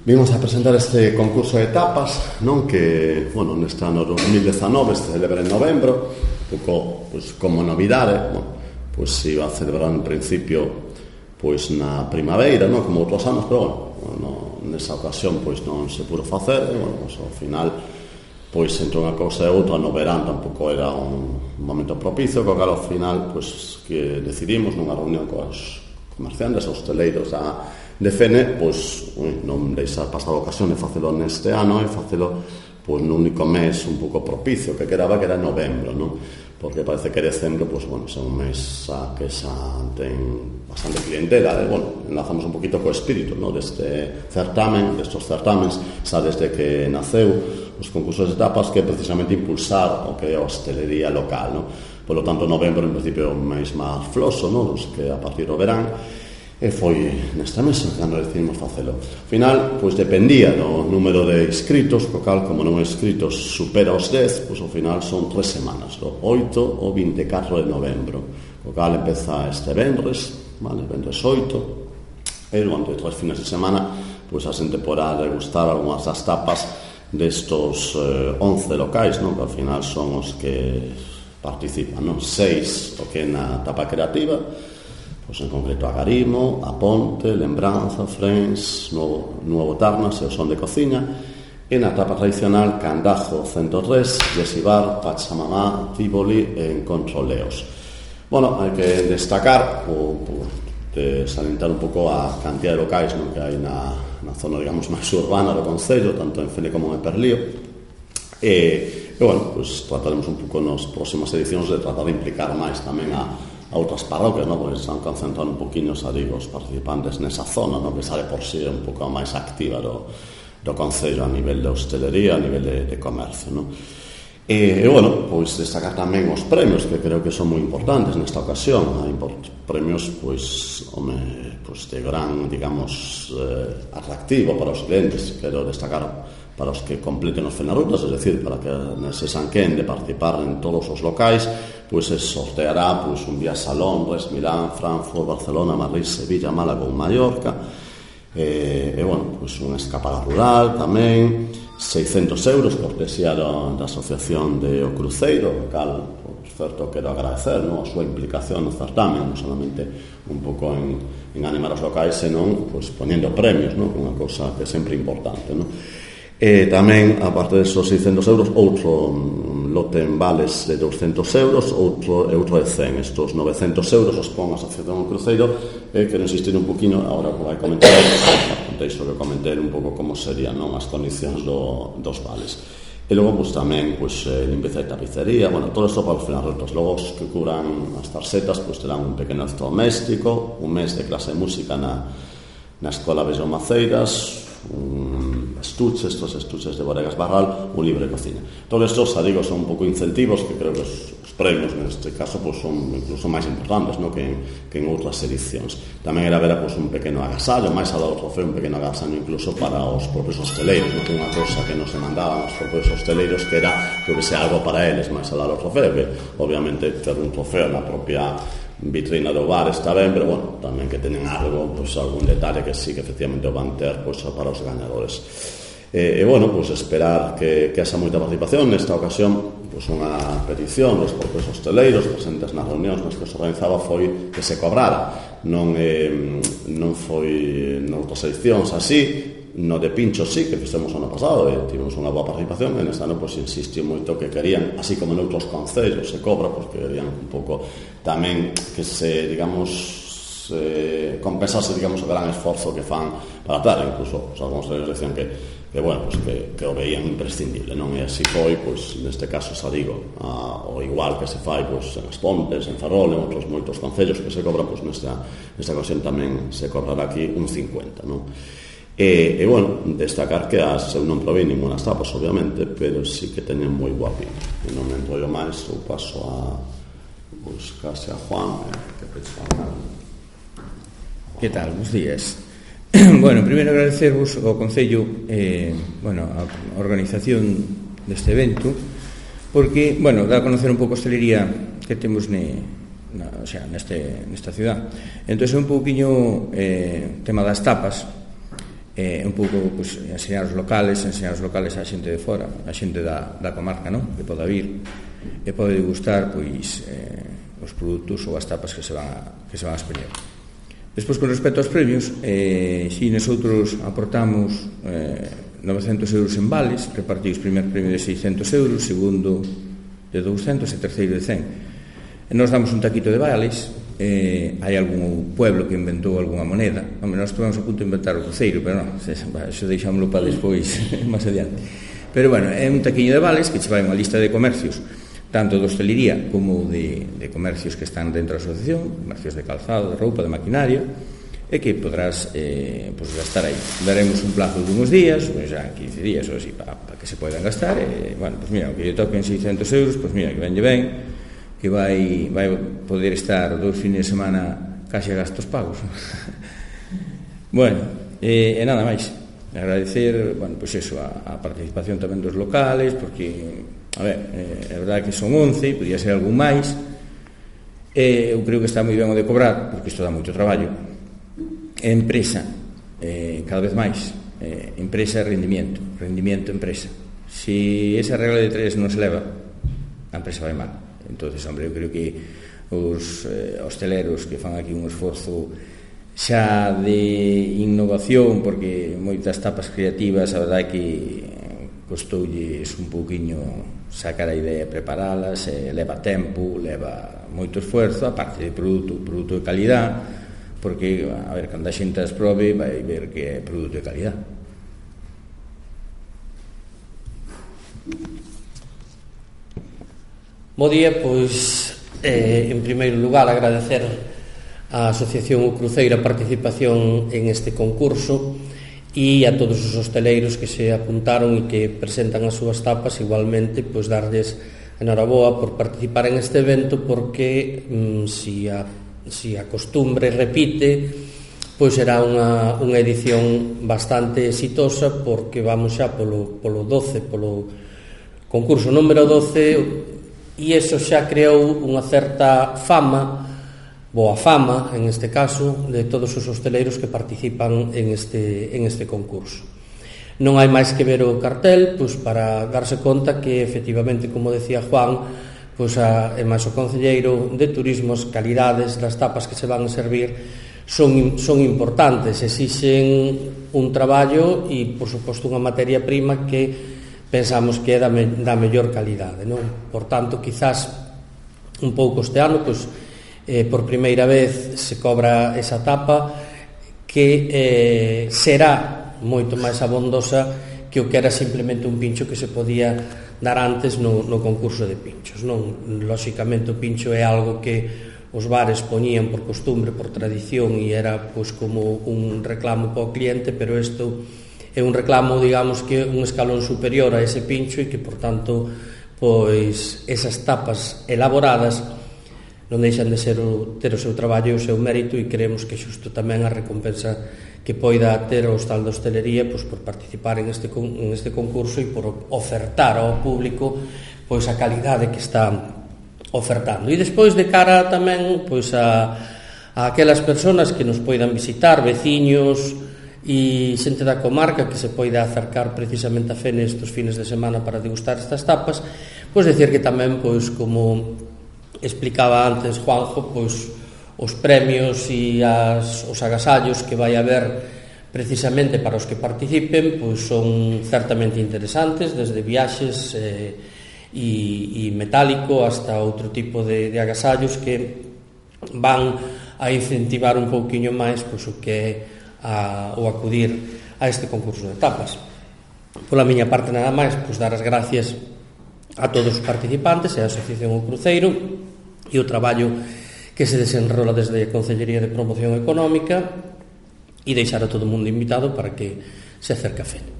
Vimos a presentar este concurso de tapas, non? Que, bueno, neste ano 2019 se celebra en novembro, un pouco, pois, como novidade, bueno, pois se iba a celebrar en principio, pois, na primavera, non? Como outros anos, pero, bueno, nesa ocasión, pois, non se pudo facer, e, bueno, pois, ao final, pois, entre unha cousa e outra, no verán tampouco era un momento propicio, co cal, ao final, pois, que decidimos nunha reunión coas comerciantes, hosteleiros de Fene, pois non deixar pasar a ocasión de facelo neste ano e facelo pois nun único mes un pouco propicio que quedaba, que era novembro, non? Porque parece que decembro, pois, bueno, é un mes que xa ten bastante clientela, e, bueno, enlazamos un poquito co espírito, non? Deste certamen, destos certámens, xa desde que naceu os concursos de tapas, que é precisamente impulsar o que é a hostelería local, non? Por lo tanto, novembro, en principio, é un mes máis floso, non? Os que a partir do verán, e foi nesta mesa cando decidimos facelo. Ao final, pois dependía do número de inscritos, co cal, como non inscritos supera os 10, pois ao final son 3 semanas, do 8 ao 24 de novembro. Co cal empeza este vendres, vale, vendres 8, e durante 3 fines de semana, pois a xente porá degustar algunhas das tapas destos 11 locais, non? Que ao final son os que participan, non? 6 o que é na tapa creativa, pois en concreto a Garimo, a Ponte, Lembranza, Frens, Nuevo Tarnas e o Son de Cociña, e na etapa tradicional Candajo, 103, Yesibar, Pachamamá, Tívoli e Encontro Leos. Bueno, hai que destacar de salientar un pouco a cantidad de locais, non, que hai na zona, digamos, máis urbana do concello, tanto en Fene como en Perlío, e bueno, pues trataremos un pouco nas próximas edicións de tratar de implicar máis tamén a outras parroquias, non? Porque están concentrando un poquinho, xa digo, os participantes nesa zona, non? Que sale por si un pouco máis activa do concello a nivel de hostelería, a nivel de comercio, non? E, bueno, pois destacar tamén os premios, que creo que son moi importantes nesta ocasión. Hai premios, pois, de gran, digamos, atractivo para os clientes. Quero destacar para os que completen os fenarutas, es decir, para que se sanquen de participar en todos os locais, pois se sorteará pois un viaxe a Londres, Milán, Frankfurt, Barcelona, Madrid, Sevilla, Málaga ou Mallorca, e bueno, pois unha escapada rural tamén, 600 euros, cortesía da Asociación de O Cruceiro, cal, por certo, quero agradecer, non, a súa implicación no certamen, non solamente un pouco en animar os locais, senón pois poñendo premios, non, unha cousa que é sempre importante, non? E tamén, aparte desos 600 euros, outro lote en vales de 200 euros, outro de 100. Estos 900 euros os pon a Asociación do Cruceiro, e quero insistir un poquinho, agora vai comentar no contexto que comentei un pouco como serían, non, as condicións dos vales. E logo, pois, tamén, pois, limpeza de tapicería, bueno, todo isto para os finalretos. Logo, os que curan as tarxetas, pois, terán un pequeno electrodoméstico, un mes de clase de música na Escola Bellón Maceiras, estos estuches de Bodegas Barral, un libro de cocina. Todos estos, xa digo, son un pouco incentivos que creo que os premios neste caso pois son incluso máis importantes, no, que en outras edicións. Tamén era ver pois un pequeno agasallo, máis a do trofeo, un pequeno agasallo incluso para os propios hosteleiros, no, que unha cousa que nos demandaban os propios hosteleiros, que era que houvese algo para eles máis a do trofeo, que obviamente ter un trofeo na propia vitrina do bar está ben, pero bueno, tamén que tenen algo, pois algún detalle que sí que efectivamente o van ter pois para os gañadores. E bueno, pois esperar que haxa moita participación. Nesta ocasión, pois unha petición dos propios hosteleiros presentes nas reunións nas que se organizaba foi que se cobrara. Non foi noutras edicións así. No de Pincho sí, que fixemos ano pasado, e tivemos unha boa participación. En este ano, pois, insistiu moito que querían, así como noutros concellos se cobra, pois querían un pouco tamén que se, digamos, compensase, digamos, o gran esforzo que fan para dar. Incluso os concellos decían que bueno, pois que o veían imprescindible, non? E así foi, pois, neste caso, xa digo, o igual que se fai, pois, en As Pontes, en Ferrol, en outros moitos concellos que se cobran, pois, nesta ocasión tamén se cobrará aquí un 50, non? E bueno, destacar que eu non probei ningunas tapas, obviamente, pero sí que teñen moi boa pinta. E non me enrollo máis, eu paso a buscarse a Juan, que pecha a... Que tal? Bos días. Bueno, primeiro agradecervos ao Concello a organización deste evento, porque, bueno, dá a conocer un pouco a hostelería que temos nesta ciudad. Entón, é un pouquiño tema das tapas. un pouco pues, enseñar os locales á xente de fora, a xente da comarca, non? Que poda vir e pode degustar pois os produtos ou as tapas que se van a expoñer. Despois, con respecto aos premios, si nosotros aportamos 900 euros en vales, repartidos primer premio de 600 euros, segundo de 200 e terceiro de 100. E nos damos un taquito de vales. Hai algún pueblo que inventou algunha moneda. Home, nós estuvemos a punto de inventar o cruceiro, pero non, eso deixámoslo para despois, máis adiante. Pero bueno, é un taquiño de vales que che vai unha lista de comercios, tanto de hostelería como de comercios que están dentro da asociación, comercios de calzado, de roupa, de maquinaria, e que podrás pues, gastar aí. Daremos un plazo de uns días, pues ya 15 días ou así, para que se podan gastar, e, bueno, pues mira, que lle toquen 600 euros, pues mira, que venlle ben, que vai poder estar 2 fines de semana case a gastos pagos. Bueno, e nada máis. Agradecer, bueno, pues eso, a participación tamén dos locales, porque, a ver, é verdade que son 11, podía ser algún máis. Eu creo que está moi ben o de cobrar, porque isto dá moito traballo. Empresa, cada vez máis. Empresa e rendimiento. Rendimiento, empresa. Se esa regla de 3 non se leva, a empresa vai mal. Entonces, hombre, eu creo que os hosteleros que fan aquí un esforzo xa de innovación, porque moitas tapas creativas, a verdade que costoulles un pouquiño sacar a idea e preparalas, leva tempo, leva moito esforzo, a parte de produto de calidad, porque, a ver, cando a xente as probe vai ver que é produto de calidad. Bo día, pois, en primeiro lugar, agradecer á Asociación O Cruceiro a participación en este concurso e a todos os hosteleiros que se apuntaron e que presentan as súas tapas, igualmente, pois, darles enhoraboa por participar en este evento, porque si a costumbre repite, pois será unha edición bastante exitosa, porque vamos xa polo 12, polo concurso número 12, e iso xa creou unha certa fama, boa fama, en este caso, de todos os hosteleiros que participan en este concurso. Non hai máis que ver o cartel, pois, para darse conta que, efectivamente, como decía Juan, pois, e máis o concelleiro de turismo, as calidades das tapas que se van a servir son importantes, exixen un traballo e, por suposto, unha materia prima que pensamos que é da mellor calidade, non? Por tanto, quizás un pouco este ano, pois, por primeira vez se cobra esa tapa que será moito máis abondosa que o que era simplemente un pincho que se podía dar antes no concurso de pinchos, non? Lóxicamente o pincho é algo que os bares poñían por costumbre, por tradición, e era pois como un reclamo para o cliente, pero isto é un reclamo, digamos, que un escalón superior a ese pincho, e que, por tanto, pois esas tapas elaboradas non deixan de ter o seu traballo e o seu mérito, e creemos que xusto tamén a recompensa que poida ter o hostal de hostelería, pois, por participar en este concurso e por ofertar ao público pois a calidade que está ofertando. E despois, de cara tamén pois a aquelas persoas que nos poidan visitar, veciños e xente da comarca que se poida acercar precisamente a Fene estes fines de semana para degustar estas tapas, pois decir que tamén, pois, como explicaba antes Juanjo, pois os premios e os agasallos que vai haber precisamente para os que participen, pois son certamente interesantes, desde viaxes e metálico hasta outro tipo de agasallos que van a incentivar un pouquiño máis pois o que é o acudir a este concurso de tapas. Pola miña parte, nada máis, pois dar as gracias a todos os participantes e a Asociación O Cruceiro e o traballo que se desenrola desde a Concellería de Promoción Económica, e deixar a todo o mundo invitado para que se acerque a Fene.